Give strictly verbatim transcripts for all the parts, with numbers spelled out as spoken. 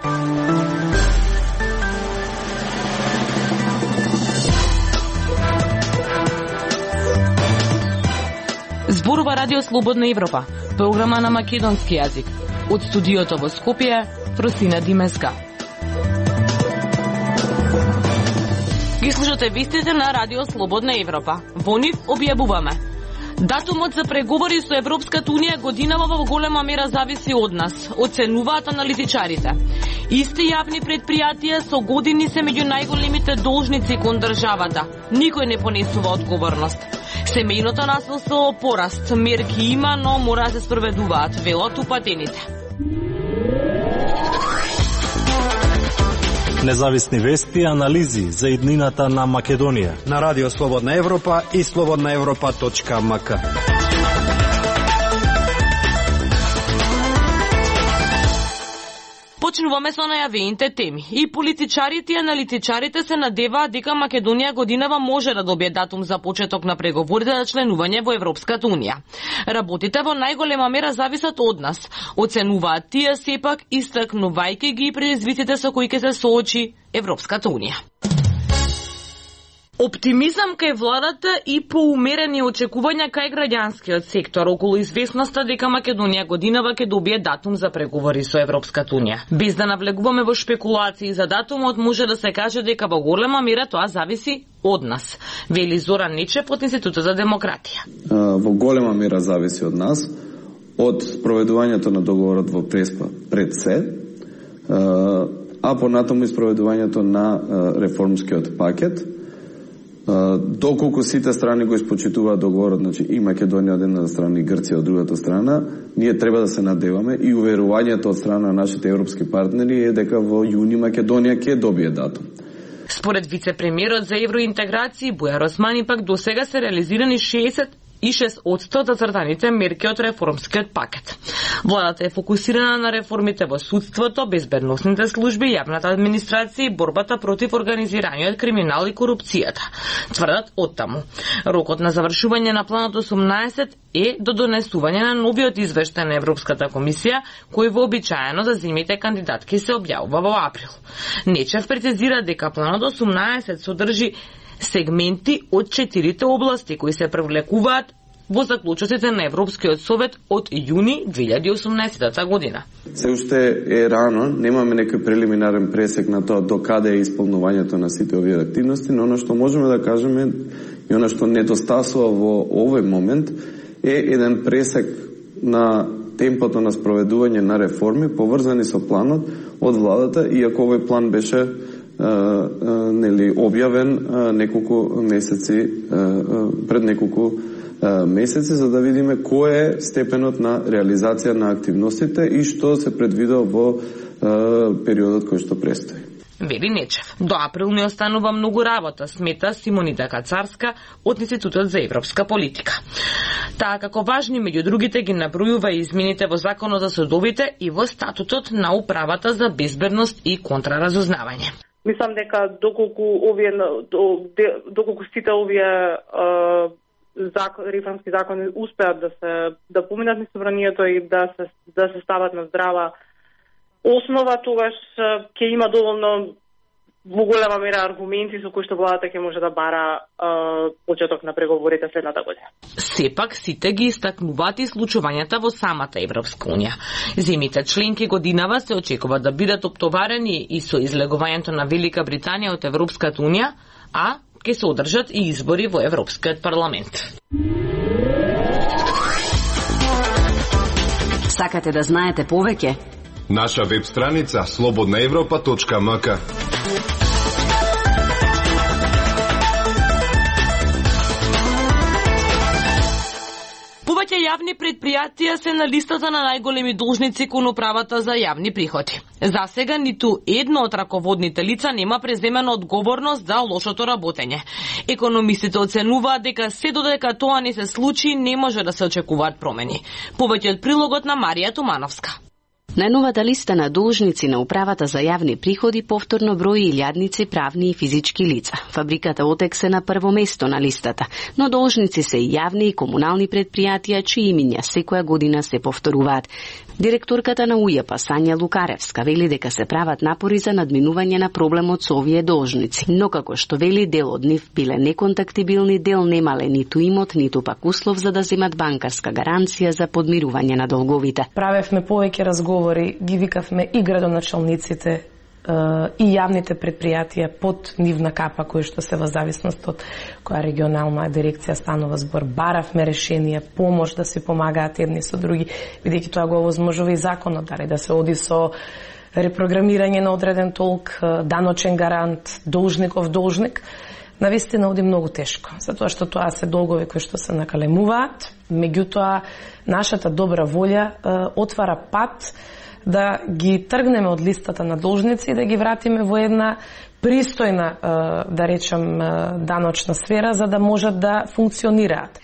Зборува Радио Слободна Европа, програма на македонски јазик. Од студиото во Скопје, Фросина Димеска. Ги слушате вестите на Радио Слободна Европа. Во нив објавуваме: датумот за преговори со Европската Унија годинава во голема мера зависи од нас, оценуваат аналитичарите. Исти јавни предпријатија со години се меѓу најголемите должници кон државата. Никој не понесува одговорност. Семејното насилство пораст, мерки има, но мора да се спроведуваат, велат упатените. Независни вести и анализи за иднината на Македонија на Радио Слободна Европа и слободна европа точка ем ка. Почнуваме со најавените теми. И политичарите и аналитичарите се надеваат дека Македонија годинава може да добие датум за почеток на преговорите за членување во Европската Унија. Работите во најголема мера зависат од нас, оценуваат тие сепак, истакнувајќи ги предизвиците со кои ќе се соочи Европската Унија. Оптимизам кај владата и поумерени очекувања кај граѓанскиот сектор околу известноста дека Македонија годинава ќе добие датум за преговори со Европската Унија. Без да навлегуваме во шпекулации за датумот, може да се каже дека во голема мера тоа зависи од нас, вели Зоран Нечев од Институтот за демократија. Во голема мера зависи од нас, од спроведувањето на договорот во Преспа пред се, а понатаму и спроведувањето на реформскиот пакет. Доколку сите страни го испочитуваат договорот, значи и Македонија од една страна и Грција од другата страна, ние треба да се надеваме и уверувањето од страна на нашите европски партнери е дека во јуни Македонија ќе добие датум. Според вице-премиерот за евроинтеграција Бујар Османи пак досега се реализирани шеесет и шест одсто зацртаните мерки од реформскиот пакет. Владата е фокусирана на реформите во судството, безбедносните служби, јавната администрација и борбата против организираниот криминал и корупцијата. Тврдат оттаму. Рокот на завршување на планот осумнаесет е до донесување на новиот извештај на Европската комисија, кој вообичаено за зимите кандидатки се објавува во април. Нечев прецизира дека планот осумнаесет содржи сегменти од четирите области кои се привлекуваат во заклучоците на Европскиот совет од јуни две илјади и осумнаесета година. Се уште е рано, немаме некој прелиминарен пресек на тоа до каде е исполнувањето на сите овие активности, но оно што можеме да кажеме и оно што недостасува во овој момент е еден пресек на темпото на спроведување на реформи поврзани со планот од владата, иако овој план беше Uh, uh, нели објавен uh, неколку месеци uh, пред неколку uh, месеци за да видиме кој е степенот на реализација на активностите и што се предвидува во uh, периодот кој што престои. Вели Нечев. До април не останува многу работа, смета Симонита Кацарска од Институтот за европска политика. Таа како важни меѓу другите ги набројува и измените во Законот за судовите и во статутот на управата за безбедност и контраразузнавање. Мислам дека доколку овие доколку сите овие закон, реформски закони успеат да се да поминат низ собранието и да се да се стават на здрава основа, тогаш ќе има доволно во голема мера аргументи со кои што владата ќе може да бара е, почеток на преговорите следната година. Сепак сите ги истакнуваат и случувањата во самата Европска Унија. Земите членки годинава се очекува да бидат оптоварени и со излегувањето на Велика Британија од Европската Унија, а ќе се одржат и избори во Европскиот парламент. Сакате да знаете повеќе? Наша веб страница слободна европа точка ем ка. Повеќе јавни предпријатија се на листата на најголеми должници кон управата за јавни приходи. За сега ниту едно од раководните лица нема преземена одговорност за лошото работење. Економистите оценуваат дека се додека тоа не се случи, не може да се очекуваат промени. Повеќе од прилогот на Марија Тумановска. Најновата листа на должници на Управата за јавни приходи повторно брои илјадници правни и физички лица. Фабриката Отекс е на прво место на листата, но должници се и јавни и комунални предпријатија чии имиња секоја година се повторуваат. Директорката на УЈП Сања Лукаревска вели дека се прават напори за надминување на проблемот со овие должници, но како што вели дел од нив биле неконтактибилни, дел немале ниту имот, ниту пак услов за да земат банкарска гаранција за подмирување на долговите. Правевме повеќе разговори, ги викавме и градоначалниците и јавните предпријатија под нивна капа, кои што се во зависност од која регионална дирекција станува збор. Баравме решение, помош да си помагаат едни со други, бидејќи тоа го овозможува и законот, дали да се оди со репрограмирање на одреден толк, даночен гарант, должников должник. Навистина оди многу тешко, затоа што тоа се долгови кои што се накалемуваат, меѓутоа нашата добра волја е, отвара пат да ги тргнеме од листата на должници и да ги вратиме во една пристојна, да речем, даночна сфера, за да можат да функционираат.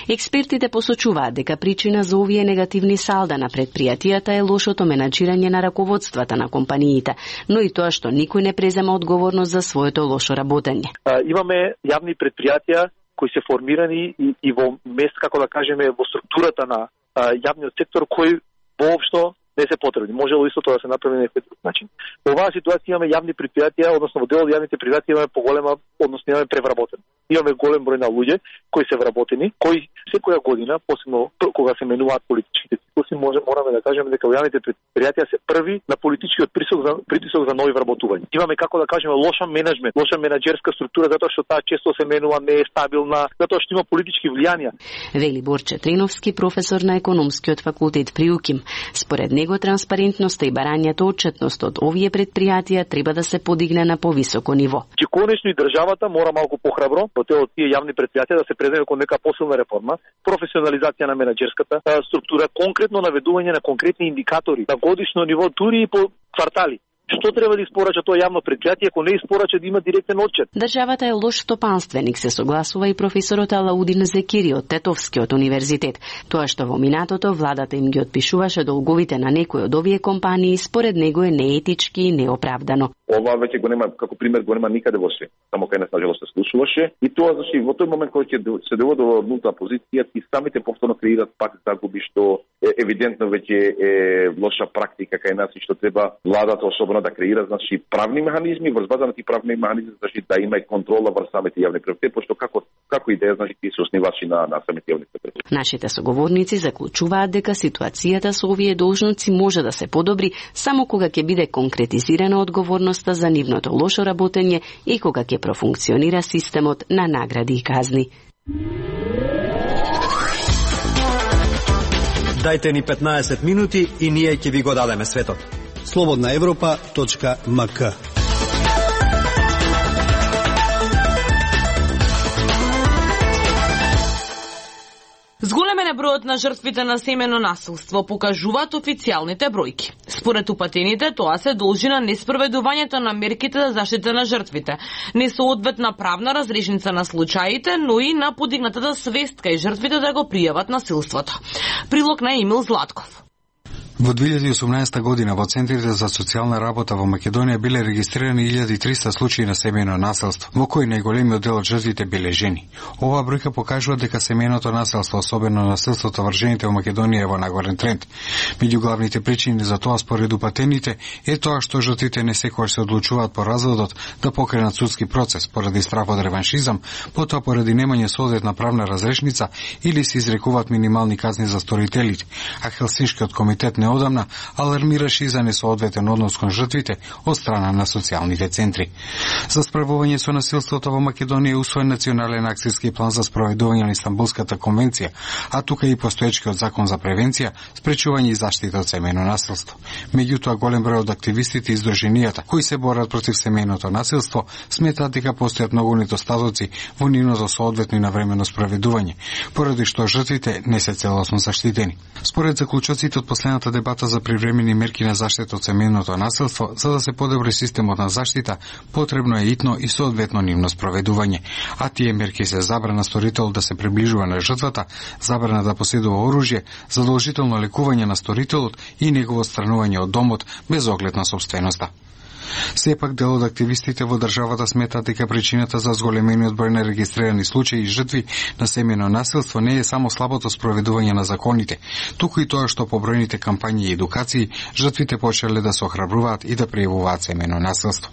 Експертите посочуваат дека причина за овие негативни салда на предпријатијата е лошото менаџирање на раководствата на компаниите, но и тоа што никој не презема одговорност за своето лошо работење. Имаме јавни предпријатија кои се формирани и, и во мест, како да кажеме, во структурата на а, јавниот сектор, кој воопшто не се потребни. Можело исто тоа да се направи на некој друг начин. Во оваа ситуација имаме јавни предпријатија, односно во дел од јавните предпријатија имаме поголема, односно имаме превработени. Имаме голем број на луѓе кои се вработени, кои секоја година, посебно кога се менуваат политичките циклуси, може мораме да кажеме дека јавните предпријатија се први на политичкиот притисок за притисок за нови вработувања. Имаме, како да кажеме, лоша менеджмент, лоша менаџерска структура, затоа што таа често се менува, не е стабилна, затоа што има политички влијанија. Вели Борче Треновски, професор на економскиот факултет при УКИМ. Според него транспарентноста и барањето отчетност од овие предпријатија треба да се подигне на повисоко ниво. Че конечно и државата мора малку похрабро во од тие јавни предпријатија да се преземе кон нека посилна реформа, професионализација на менаџерската структура, конкретно наведување на конкретни индикатори на годишно ниво, дури и по квартали. Што треба да испорача тоа јавно предпријатие, ако не испорача да има директен отчет? Државата е лош стопанственик, се согласува и професорот Алаудин Зекири од Тетовскиот универзитет. Тоа што во минатото владата им ги отпишуваше долговите на некои од овие компании, според него е неетички и неоправдано. Ова веќе го нема, како пример, го нема никаде во свет. Само кај нас нажалост се слушуваше. И тоа зашто во тој момент кога ќе се доводи до нулта позиција, и самите повторно креираат пак загуби, што е евидентно веќе е лоша практика кај нас и што треба владата особено да креира, значи, правни механизми, врз база на тие правни механизми, значи, да има и контрола врз самите јавни предпријатија, пошто како како идеја, значи, тие се основачи на на самите јавни предпријатија. Нашите соговорници заклучуваат дека ситуацијата со овие должници може да се подобри само кога ќе биде конкретизирана одговорноста за нивното лошо работење и кога ќе профункционира системот на награди и казни. Дајте ни петнаесет минути и ние ќе ви го дадеме светот. слободна европа точка ем ка. Зголемен е бројот на жртвите на семено насилство, покажуваат официјалните бројки. Според упатените, тоа се должи на неспроведувањето на мерките за заштита на жртвите, несоодветна правна разрешница на случаите, но и на подигнатата свест кај жртвите да го пријават насилството. Прилог на Емил Златков. Во две илјади и осумнаесета година во центрите за социјална работа во Македонија биле регистрирани илјада и триста случаи на семејно насилство, во кои најголемиот дел од жртвите биле жени. Оваа бројка покажува дека семејното насилство, особено насилството врз жените во Македонија, е во нагорен тренд. Меѓу главните причини за тоа според упатените е тоа што жртвите не секогаш се одлучуваат по разводот да покренат судски процес поради страф од реваншизам, потоа поради немање соодветна правна разрешница или се изрекуваат минимални казни за сторителите, а Хелсиншкиот комитет не одамна алармираше и за несоодветен однос кон жртвите од страна на социјалните центри. За справување со насилството во Македонија е усвоен национален акцијски план за спроведување на Истанбулската конвенција, а тука и постоечкиот закон за превенција, спречување и заштита од семејно насилство. Меѓутоа, голем број од активистите и издруженијата кои се борат против семејното насилство сметаат дека постојат многу недостатоци во нивното соодветно и навремено спроведување, поради што жртвите не се целосно заштитени. Според заклучоците од последната дебата за привремени мерки на заштита од семејното насилство, за да се подобри системот на заштита, потребно е итно и соодветно нивно спроведување. А тие мерки се забрана сторител да се приближува на жртвата, забрана да поседува оружје, задолжително лекување на сторителот и негово отстранување од домот без оглед на собственоста. Сепак дел од активистите во државата сметаат дека причината за зголемениот број на регистрирани случаи и жртви на семејно насилство не е само слабото спроведување на законите, туку и тоа што по бројните кампањи и едукации жртвите почеле да се охрабруваат и да пријавуваат семејно насилство.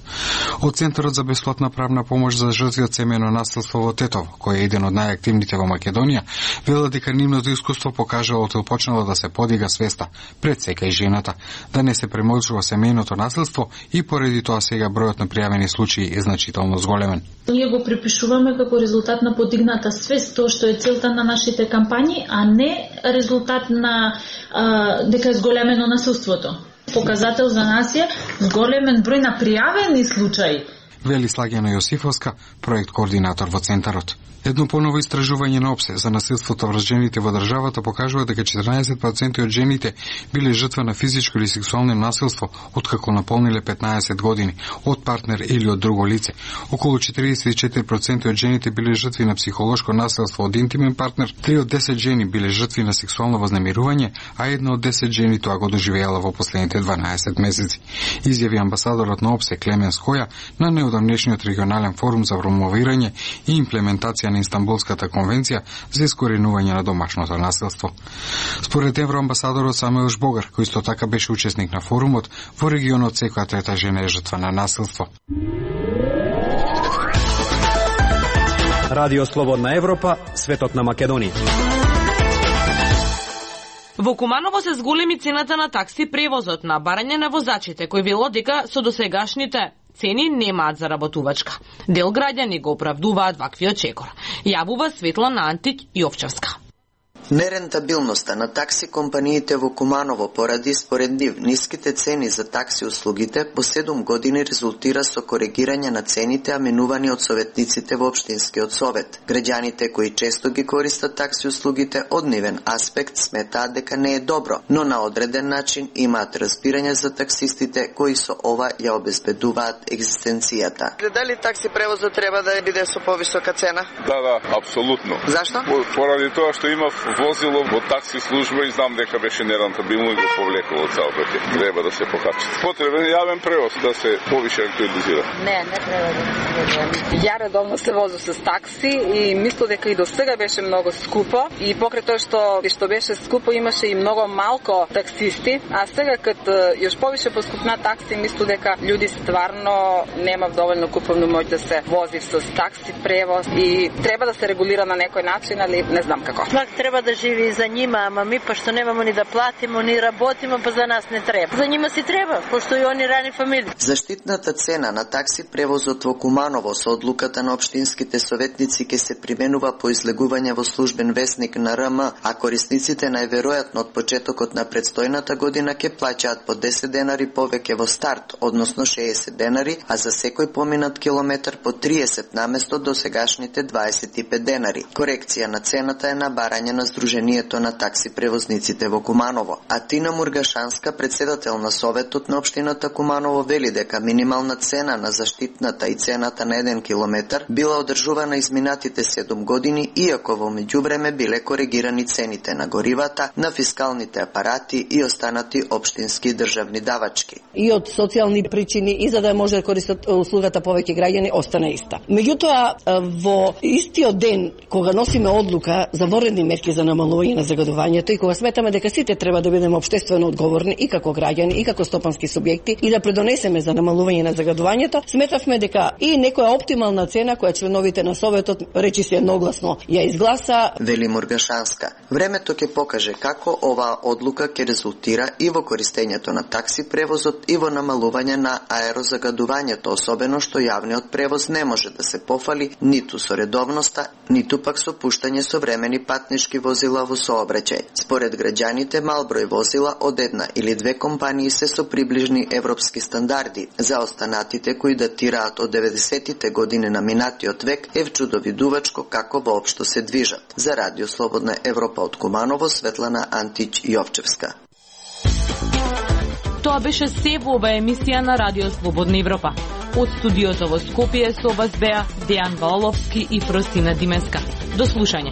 Од Центарот за бесплатна правна помош за жртви од семејно насилство во Тетово, кој е еден од најактивните во Македонија, велат дека нивното искуство покажало од почнало да се подига свеста пред сека и жената, да не се премолчува семејното насилство и поради тоа сега бројот на пријавени случаи е значително зголемен. Ние го припишуваме како резултат на подигната свест, тоа што е целта на нашите кампањи, а не резултат на а, дека е зголемено насилството. Показател за нас е зголемен број на пријавени случаи. Вели Слагена Јосифовска, проект координатор во Центарот. Едно поново истражување на ОПСЕ за насилството врз жените во државата покажува дека четрнаесет проценти од жените биле жртва на физичко или сексуално насилство откако наполниле петнаесет години од партнер или од друго лице. Околу четиридесет и четири проценти од жените биле жртви на психолошко насилство од интимен партнер, три од десет жени биле жртви на сексуално вознемирување, а една од десет жени тоа го доживеала во последните дванаесет месеци. Изјави амбасадорот на ОПСЕ Клемен Скоја на неодамнешниот регионален форум за промовирање и имплементација на Истанбулската конвенција за искоренување на домашното насилство. Според евроамбасадорот Самуел Жбогар, кој исто така беше учесник на форумот, во регионот секоја трета жена е жртва на насилство. Радио Слободна Европа, светот на Македонија. Во Куманово се зголеми цената на такси превозот на барање на возачите, кој вело дека со досегашните цени немаат заработувачка. Дел граѓани го оправдуваат ваквиот чекор. Јавува Светлана Антик Јовчевска. Нерентабилноста на такси компаниите во Куманово поради според нив ниските цени за такси услугите по седум години резултира со коригирање на цените аменувани од советниците во Општинскиот совет. Граѓаните кои често ги користат такси услугите од нивен аспект сметаат дека не е добро, но на одреден начин имаат разбирање за таксистите кои со ова ја обезбедуваат екзистенцијата. Дали такси превозот треба да биде со повисока цена? Да, да, апсолутно. Зашто? Поради тоа што има возило во такси служба и знам дека беше нерентабилно и го повлекло од цел пати. Треба да се покачи. Потребен е јавен превоз да се повише актуализира. Не, не треба да се. Ја редовно се возам со такси и мислам дека и до сега беше многу скупо и покрај тоа што што беше скупо имаше и многу малку таксисти, а сега кад још повише поскупна такси мислам дека луѓе стварно нема доволно куповна моќ да се вози со такси превоз и треба да се регулира на некој начин, али не знам како. Свак треба да живи за нима, ама ми па што немамо ни да платимо, ни работимо, па за нас не треба. За нима си треба, пошто и они рани фамилии. Заштитната цена на такси превозот во Куманово со одлуката на општинските советници ќе се применува по излегување во службен весник на РМ, а корисниците најверојатно од почетокот на предстојната година ќе плаќаат по десет денари повеќе во старт, односно шеесет денари, а за секој поминат километар по триесет наместо до сегашните дваесет и пет денари. Корекција на цената е на барање на Сдруженијето на такси превозниците во Куманово. А Тина Мургашанска, председател на Советот на општината Куманово, вели дека минимална цена на заштитната и цената на еден километар била одржувана изминатите седум години, иако во меѓувреме биле коригирани цените на горивата, на фискалните апарати и останати општински државни давачки. И од социјални причини и за да може да користат услугата повеќе граѓани остана иста. Меѓутоа, во истиот ден кога носиме одлука за воредни мерки за намалување на загадувањето и кога сметаме дека сите треба да бидеме општествено одговорни и како граѓани и како стопански субјекти и да предонесеме за намалување на загадувањето, сметавме дека и некоја оптимална цена која членовите на Советот речи се едногласно ја изгласа. Вели Мургашанска. Времето ќе покаже како оваа одлука ќе резултира и во користењето на такси превозот и во намалување на аерозагадувањето, особено што јавниот превоз не може да се пофали ниту со редовноста, ниту пак со пуштање современи патнишки возила во сообраќај. Според граѓаните, мал број возила од една или две компании се со приближни европски стандарди. За останатите кои датираат од деветдесетите години на минатиот век е вчудовидувачко како воопшто се движат. За Радио Слободна Европа од Куманово, Светлана Антич Јовчевска. Тоа беше се во ова емисија на Радио Слободна Европа. Од студиото во Скопје со вас беа Дејан Валовски и Фростина Димеска. До слушање.